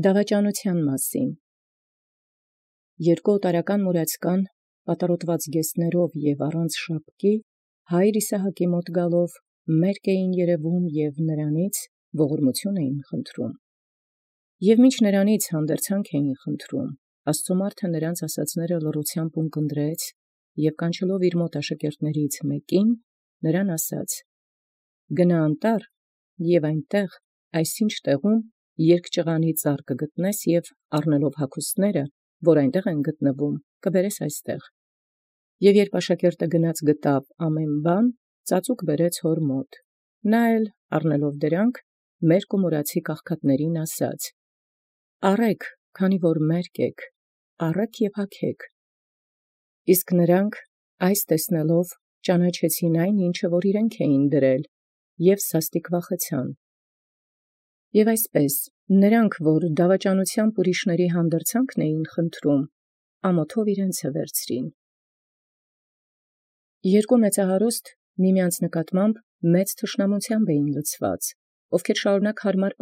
Դավաճանութեան մասին։ Երկու օտարական մուրացկան պատառոտված գեսներով եւ առանց շապկի հայր Իսահակի մոտ գալով մերկ երևէին եւ նրանից ողորմութիւն խնդրում։ Եւ մինչ նրանից հանդերձանք խնդրում, Աստուծոյ նրանց ասացելոցն լռութեամբ ունկնդրեց եւ կանչելով իր մոտ աշակերտացն մեկին, նրան ասաց. «Գնա անտառ եւ այնտեղ այսինչ տեղում երկճղանի ծառ գտնես եւ առնելով հագուստս, որ այնտեղ գտնվում, կբերես այստեղ»։ Եւ յորժամ աշակերտը գնաց գտավ ամենայն բան, ծածուկ բերեց հոր մոտ. նա էլ առնելով դրանք մերկ ու մուրացիկ աղքատացն ասաց. «Առէք, քանի որ մերկ էք, առէք եւ հագէք»։ Իսկ նոցին տեսեալ ճանաչեցին այն, որ իրենք դրեալ, և սաստիկ վախեցան։ Եւ այսպէս նոցին, որ դավաճանութեամբ հանդերձանքն խնդրում, ամոթով իւրեանցե վերցրին։ Երկու մեծահարուստ միմեանց նկատմամբ մեծ թշնամութեամբ լցեալք, որք շարունակ հարմար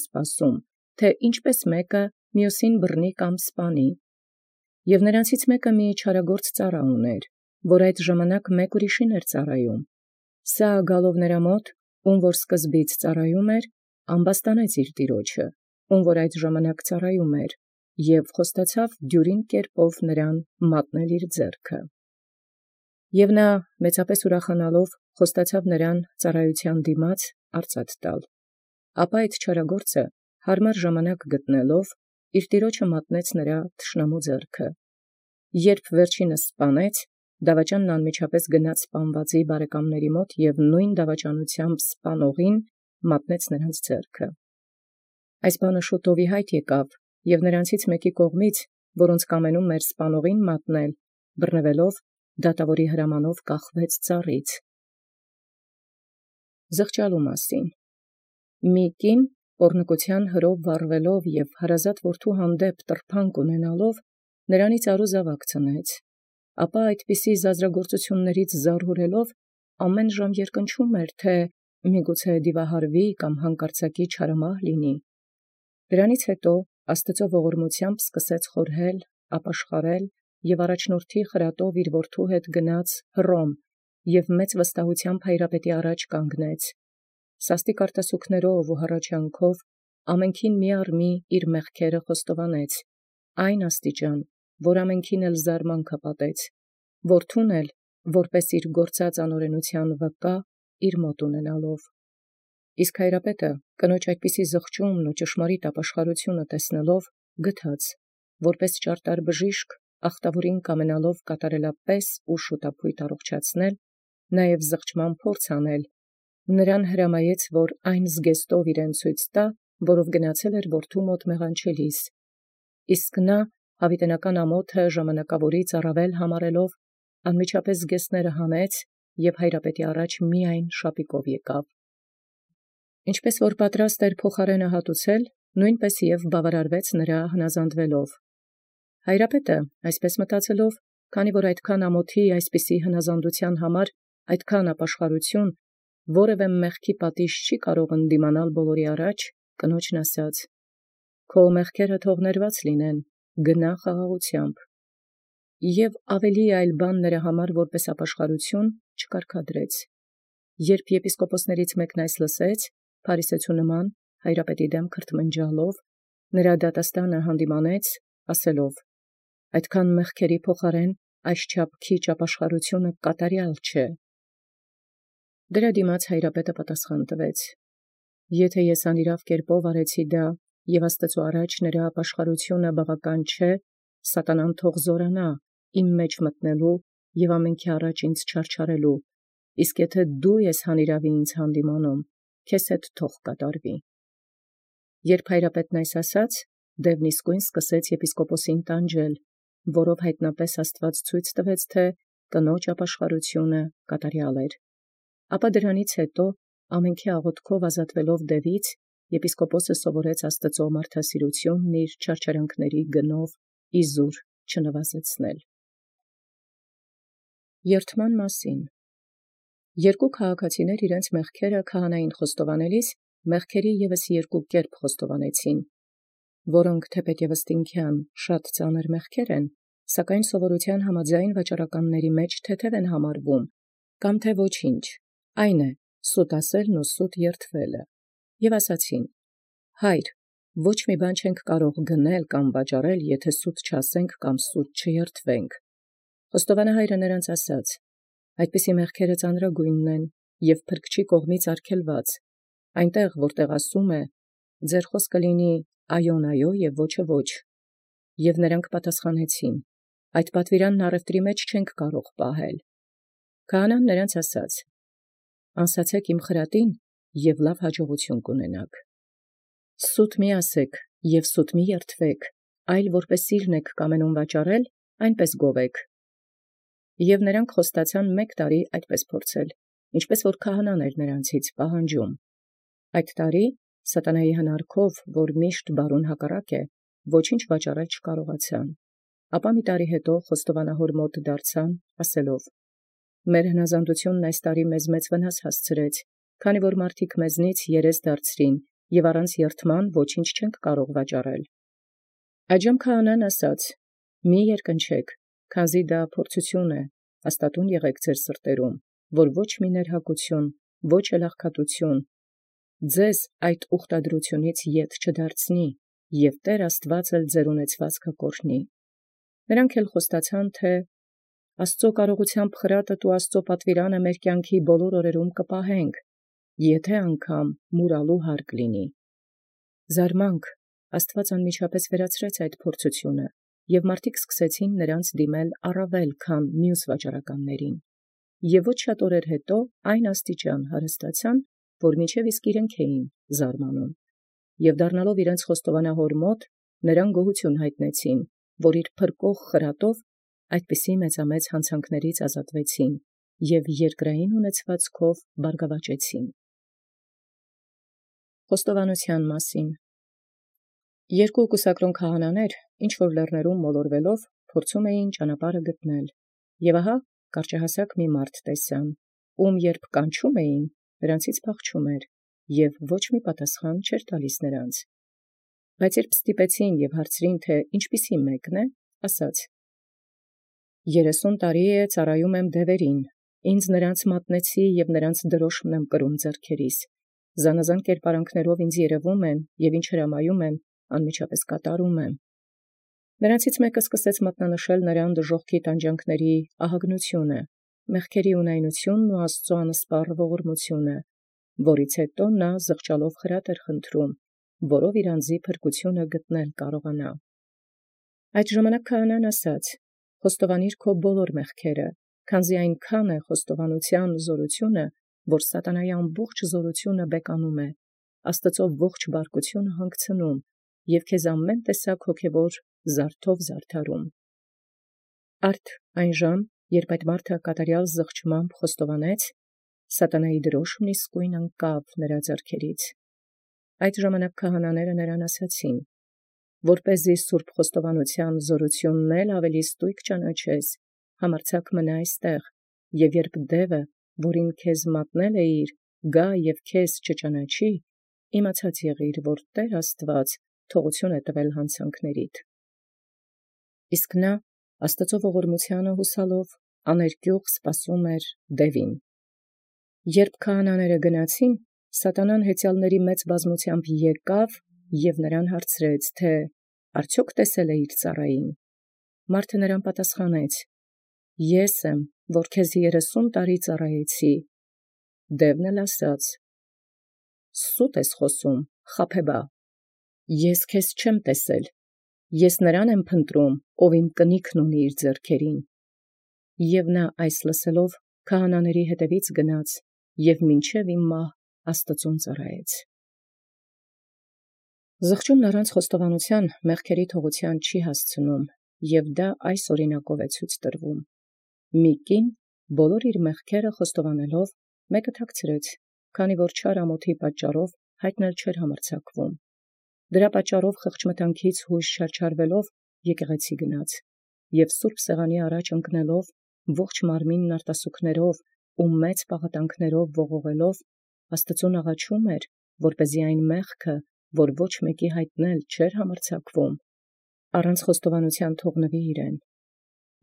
սպասում, թէ յինչպէս մէկը մյուսին բռնի կամ սպանի։ Եւ նոցա մէկը մի չարագործ ծառայ ունէր, որ յայտ ժամանակ մեկ ուրիշին ծառայէր. սա գալով նրա մոտ, որ սկզբից ծառայէր, ամբաստանեց իր տիրոջը, որ յայտ ժամանակ ծառայէր, և խոստացեալ դիւրին նրան մատնել իր ձեռքը։ Եւ նորա մեծապէս ուրախանալով խոստացեալ նրան ծառայութեան արծաթ տալ։ Ապա այդ չարագործը հարմար ժամանակ գտեալ, իր տիրոջը մատնեց նրա թշնամու ձեռքը։ Երբ վերջինս սպանէր, դավաճանն անմիջապես գնաց սպանվածին բարեկամաց մոտ և նովին դավաճանութեամբ սպանողին մատնեց նոցա ձեռքը։ Այս բանը շուտով յայտ լինէր, և նոցա մեկի կողմից, որոնց կամենում սպանողին մատնել, բռնեալ դատաւորի հրամանով կախեալ ծառից։ Զղջալու մասին։ Մի կին պոռնկութեան վարժեալ և հարազատ որդւոյ հանդեպ տրփանկ ունենալով, նրանից զաւակ ծնեց, ապա այնպիսի զազրագործութիւնացն զարհուրեալ, ամենայն ժամ երկնչում, թէ միգուցե դիւահարուի կամ յանկարծակի չարամահ լինի։ Դրանից յետոյ Աստուծոյ ողորմութեամբ սկսեալ խորհել, ապաշխարել և առաջնորդի խրատով իր որդւոյ հետ գնաց Հռոմ և մեծ վստահութեամբ կանգնեալ կանգնեց Հայրապետին, սաստիկ արտասուքաւք և հառաչանաւք ամենեցուն իր մեղքերը խոստովանէր, այն աստիճան, որ ամենեցուն զարմանք պատեց, որդւոյն էլ որպէս իր գործած անօրենութեան վկա ունենալով։ Իսկ Հայրապետը կնոջ այդպիսի զղջումն և ճշմարիտ ապաշխարութիւնն տեսեալ, գթաց, որպէս ճարտար բժիշկ աղտաւորին կամենալով կատարելապէս և շուտապոյտ առողջացնել, նաև զղջման փորձ առեալ, հրամայեալ, որ այն զգեստով իւրեանց ցույց տայ, որով գնացել էր որդւոյ մոտ մեղանչելիս, իսկ նորա յաւիտենական ամոթը ժամանակաւորից համարեալ, անմիջապես զգեստս հանէր և Հայրապետին առաջի միայն շապիկով ելանէր։ Ինչպէս որ պատրաստ էր փոխարէնը հատուցանել, նոյնպէս և բաւարարեաց հնազանդելովն։ Հայրապետը այսպէս մտածելով, քանի որ այդքան ամոթի այսպիսի հնազանդութեան այդքան ապաշխարութիւն մեղքի պատիժ չի կարող դիմանալ բոլորի առաջ, կնոջն ասաց. «Քո մեղքերը թող ներված լինեն, գնա՛ խաղաղութեամբ»։ Եւ այլ բան որպէս ապաշխարութիւն չկարգադրեց։ Երբ եպիսկոպոսացն մեկն լսէր, փարիսեցու նման Հայրապետին դէմ քրթմնջալով, դատաստանին յանդիմանէր, ասելով. «Այդքան մեղքերի փոխարէն այսչափ քիչ ապաշխարութիւն կատարեալ չէ»։ Դրա դիմաց Հայրապետը պատասխան տուեալ. «Եթէ անիրաւ արեցի և Աստուծոյ առաջ ապաշխարութիւնն բաւական չէ, սատանան թող զորանայ մտանել իմ և ամենեցուն առաջ չարչարել. իսկ եթէ դու ես յանիրաւի յանդիմանիլ, քեզ հետ թող կատարվի»։ Երբ Հայրապետն այսպես ասաց, դևն իսկոյն սկսեալ եպիսկոպոսին տանջել, որով յայտնապէս Աստուած ցույց տուեալ, թէ կնոջ ապաշխարութիւնն կատարեալ էր։ Ապա դրանից յետոյ ամենեցուն աղաւթքով ազատեալ, եպիսկոպոսն սովորեալ Աստուծոյ մարդասիրութիւնն իր չարչարանացն գնով իզուր չնվազեցնել։ Երդման մասին։ Երկու քաղաքացիներ իւրեանց մեղքերը քահանային խոստովանելիս, մեղքերի ևս երկու կերպ խոստովանեցին։ որոնք թեպետևս տինքյան շատ ծանր մեղքեր են, սակայն սովորութեան համաձայն վաճառականների մեջ թեթև են համարվում, կամ թե ոչինչ, այն է սուտ ասելն ու սուտ երդվելը։ Եւ ասացին. Հայր, ոչ մի բան չենք կարող գնել կամ վաճառել, եթե սուտ չասենք կամ սուտ չերդվենք։ Խոստովանահայրը նրանց ասաց. այդպիսի մեղքերը ծանրագույնն են եւ փրկչի կողմից արգելված, այնտեղ որտեղ ասում է. ձեր խոսքը լինի այոն այո եւ ոչը ոչ։ Եւ նրանք պատասխանեցին. այդ պատվիրանն առևտրի մեջ չենք կարող պահել։ Քահանան նրանց ասաց. անսացեք իմ խրատին եւ լավ հաջողություն կունենաք։ Սուտ մի ասեք եւ սուտ մի երդվեք, այլ որպես սիրն եք կամենում վաճառել, այնպես գովեք։ Եւ նրանք խոստացան 1 տարի այդպես փորձել, ինչպես որ քահանան էր նրանցից պահանջում։ Այդ տարի սատանայի հնարքով, որ միշտ բարուն հակառակ է, ոչինչ վաճառել չկարողացան։ Ապա մի տարի հետո խոստովանահոր մոտ դարձան, ասելով. մեր հնազանդությունն այս տարի մեզ մեծ վնաս հասցրեց, քանի որ մարդիկ մեզնից երես դարձրին եւ առանց երդման ոչինչ չենք կարող վաճառել։ Այժմ քահանան ասաց. մի երկնչեք, քանզի դա փորձություն է, հաստատուն եղեք ձեր սրտերում, որ ոչ մի ներհակություն, ոչ էլ աղքատություն ձեզ այդ ուխտադրությունից ետ չդարձնի, եւ Տեր Աստված էլ ձեր ունեցվածքը կօրհնի։ Նրանք էլ խոստացան, թե Աստծո կարողությամբ խրատը ու Աստծո պատվիրանը մեր կյանքի բոլոր օրերում կպահենք, եթե անգամ մուրալու հարկ լինի։ Զարմանք, Աստված անմիջապես վերացրեց այդ փորձությունը, եւ մարդիկ սկսեցին նրանց դիմել առավել, քան մյուս վաճառականներին։ Եւ ոչ շատ օրեր հետո այն աստիճան հարստացան, որ մինչև իսկ իրենք էին զարմանում։ Եւ դառնալով իրենց խոստովանահոր մոտ, նրան գոհություն հայտնեցին, որ իր փրկող խրատով այդպիսի մեծամեծ հանցանքներից ազատվեցին եւ երկրային ունեցվածքով բարգավաճեցին։ Խոստովանության մասին։ Երկու կուսակրոն քահանաներ, ինչ որ լեռներում մոլորվելով, փորձում էին ճանապարհը գտնել, եւ ահա կարճահասակ մի մարդ տեսան, ում երբ կանչում էին, նրանցից փախչում էր, եւ ոչ մի պատասխան չէր տալիս նրանց։ Բայց երբ ստիպեցին եւ հարցրին, թե ինչպիսի մեկն է, ասաց. 30 տարի է ծառայում եմ դևերին, ինձ նրանց մատնեցի եւ նրանց դրոշմն եմ կրում ձեռքերիս, զանազան կերպարանքներով ինձ երևում են եւ ինչ հրամայում են, անմիջապես կատարում եմ։ Նրանցից մեկը սկսեց մատնանշել նրան դժոխքի տանջանքների ահագնությունը, մեղքերի ունայնությունն ու Աստծո անսպառ ողորմությունը, որից հետո նա զղջալով խրատ էր խնդրում, որով իր անձի փրկությունը գտնել կարողանա։ Այդ ժամանակ քահանան ասաց. խոստովանիր քո բոլոր մեղքերը, քանզի այնքան է խոստովանության զորությունը, որ սատանայի ամբողջ զորությունը բեկանում է, Աստծո ողջ բարկությունը հանգցնում եւ քեզ ամեն տեսակ հոգևոր զարդով զարդարում։ Արդ այն ժամ, երբ այդ մարդը կատարյալ զղջմամբ խոստովանեց, սատանայի դրոշմն իսկույն անկավ նրա ձեռքերից։ Այդ ժամանակ քահանաները նրան ասացին. որպեսզի սուրբ խոստովանության զորությունն էլ ավելի ստույգ ճանաչես, համարձակ մնա այստեղ, եւ երբ դևը, որին քեզ մատնել էիր, գա եւ քեզ չճանաչի, իմացած եղիր, որ Տեր Աստված թողություն է տվել հանցանքներիդ։ Իսկ նա Աստծո ողորմությանը հուսալով աներկյուղ սպասում էր դևին։ Երբ քահանաները գնացին, սատանան հեծյալների մեծ բազմությամբ եկավ եւ նրան հարցրեց, թե արդյոք տեսել է իր ծառային։ Մարդը նրան պատասխանեց. ես եմ, որ քեզ 30 տարի ծառայեցի։ Դևն էլ ասաց. սուտ ես խոսում, խաբեբա, ես քեզ չեմ տեսել, ես նրան եմ փնտրում, ով իմ կնիքն ունի իր ձեռքերին։ Եվ նա այս լսելով քահանաների հետևից գնաց եւ մինչև իմ մահ Աստծուն ծառայեց։ Զղջումն առանց խոստովանության մեղքերի թողության չի հասցնում, եւ դա այս օրինակով է ցույց տրվում։ Մի կին բոլոր իր մեղքերը խոստովանելով մեկը թաքցրեց, քանի որ չար ամոթի պատճառով հայտնել չէր համարձակվում։ Դրա պատճառով խղճմտանքից հույս չարչարվելով եկեղեցի գնաց եւ սուրբ սեղանի առաջ ընկնելով ողջ մարմինն արտասուքներով ու մեծ պաղատանքներով ողողելով Աստծուն աղաչում էր, որպեսզի այն մեղքը, որ ոչ մեկի հայտնել չէր համարձակվում, առանց խոստովանության թողնվի իրեն։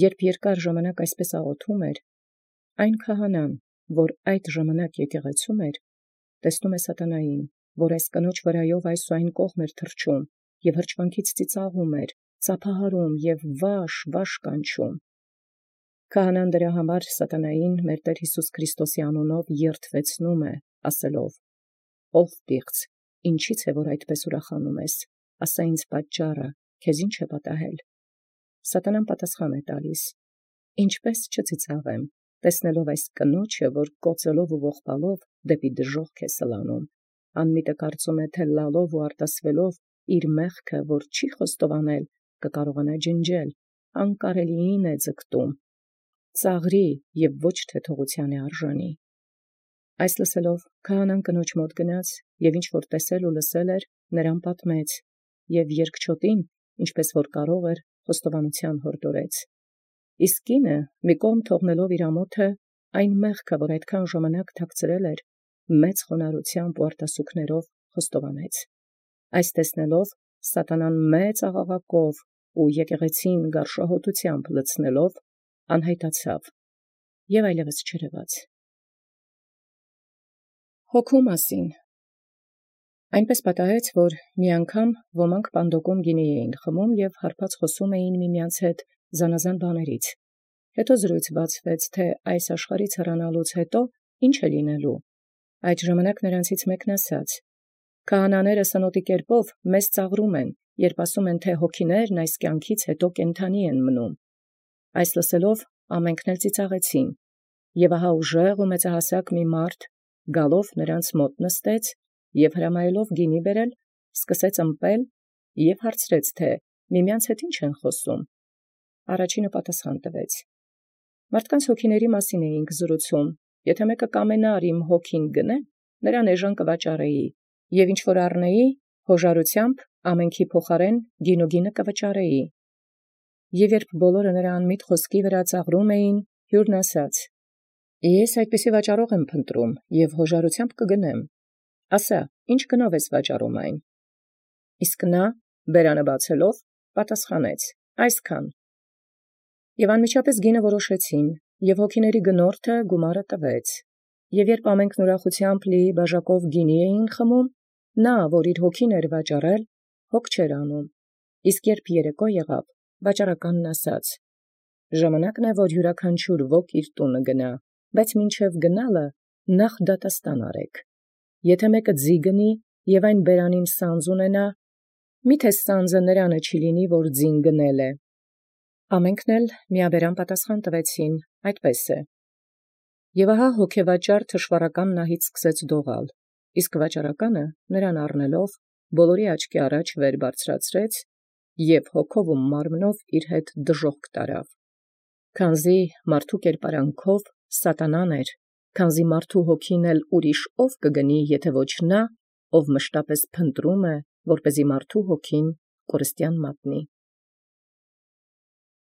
Երբ երկար ժամանակ այսպես աղոթում էր, այն քահանան, որ այդ ժամանակ եկեղեցում էր, տեսնում է սատանային, որ այս կնոջ վրայով այս ու այն կողմ էր թռչում և հրճվանքից ծիծաղում էր, ծափահարում և վաշ կանչում։ Քահանան դրա համար սատանային մեր Տեր Հիսուս Քրիստոսի անունով երդվեցնում է, ասելով. «Ով պիղծ, ինչի՞ց է, որ այդպես ուրախանում ես, ասա ինձ պատճառը, քեզ ի՞նչ է պատահել»։ Սատանան պատասխան է տալիս. «Ինչպես չծիծաղեմ, տեսնելով այս կնոջը, որ կոծելով ու ողբալով դեպի դժոխք է սլանում, անմիտը կարծում է, թե լալով ու արտասվելով իր մեղքը, որ չի խոստովանել, կկարողանա ջնջել, անկարելիին է ձգտում, ծաղրի և ոչ թե թողության է արժանի»։ Այս լսելով քահանան կնոջ մոտ գնաց և ինչ որ տեսել ու լսել էր, նրան պատմեց, և երկչոտին, ինչպես որ կարող էր, խոստովանության հորդորեց։ Իսկ կինը մի կողմ թողնելով իր ամոթը, այն մեղքը, որ այդքան ժամանակ թաքցրել էր, մեծ խոնարհությամբ ու արտասուքներով խոստովանեց։ Այս տեսնելով սատանան մեծ աղաղակով ու եկեղեցին գարշահոտությամբ լցնելով անհայտացավ և այլևս չերևաց։ Հոգու մասին։ Այնպես պատահեց, որ մի անգամ ոմանք պանդոկում գինի էին խմում և հարբած խոսում էին միմյանց հետ զանազան բաներից։ Հետո զրույց բացվեց, թե այս աշխարհից հեռանալուց հետո ինչ է լինելու։ Այդ ժամանակ նրանցից մեկն ասաց. «Քահանաները սնոտի կերպով մեզ ծաղրում են, երբ ասում են, թե հոգիներն այս կյանքից հետո կենդանի են մնում»։ Այս լսելով ամենքն էլ ծիծաղեցին, և ահա ուժեղ ու մեծահասակ մի մարդ գալով նրանց մոտ նստեց և հրամայելով գինի բերել, սկսեց ըմպել և հարցրեց, թե միմյանց հետ ինչ են խոսում։ Առաջինը պատասխան տվեց. «Մարդկանց հոգիների մասին էինք զրուցում, եթե մեկը կամենար իմ հոգին գնել, նրան էժան կվաճառեի, և ինչ որ առնեի, հոժարությամբ ամենքի փոխարեն գինուգինը կվճարեի»։ Եվ երբ բոլորը նրա անմիտ խոսքի վրա ծաղրում էին, հյուրն ասաց. «Ես այդպիսի վաճառող եմ փնտրում և հոժարությամբ կգնեմ. ասա, ինչ գնով ես վաճառում այն»։ Իսկ նա բերանը բացելով պատասխանեց. «Այսքան»։ Եւ անմիջապես գինը որոշեցին, և հոգիների գնորդը գումարը տվեց։ Եվ երբ ամենքն ուրախությամբ լի բաժակով գինի էին խմում, նա, որ իր հոգին էր վաճառել, հոգ չէր անում։ Իսկ երբ երեկո եղավ, վաճառականն ասաց. «Ժամանակն է, որ յուրաքանչյուր ոք իր տունը գնա, բայց մինչև գնալը նախ դատաստան արեք։ Եթե մեկը ձի գնի և այն բերանին սանձ ունենա, միթե սանձը նրանը չի լինի, որ ձին գնել է։ Ամենքն էլ միաբերան պատասխան տվեցին. այդպես է։ Եվ ահա հոգեվաճառ թշվառական նահից սկսեց դողալ, իսկ վաճառականը նրան առնելով բոլորի աչքի առաջ վեր բարձրացրեց և հոգով ու մարմնով իր հետ դժոխք տարավ։ Քանզի մարդու կերպարանքով սատանան էր, քանզի մարդու հոգին էլ ուրիշ ով կգնի, եթե ոչ նա, ով մշտապես փնտրում է, որպեսզի մարդու հոգին կորստյան մատնի։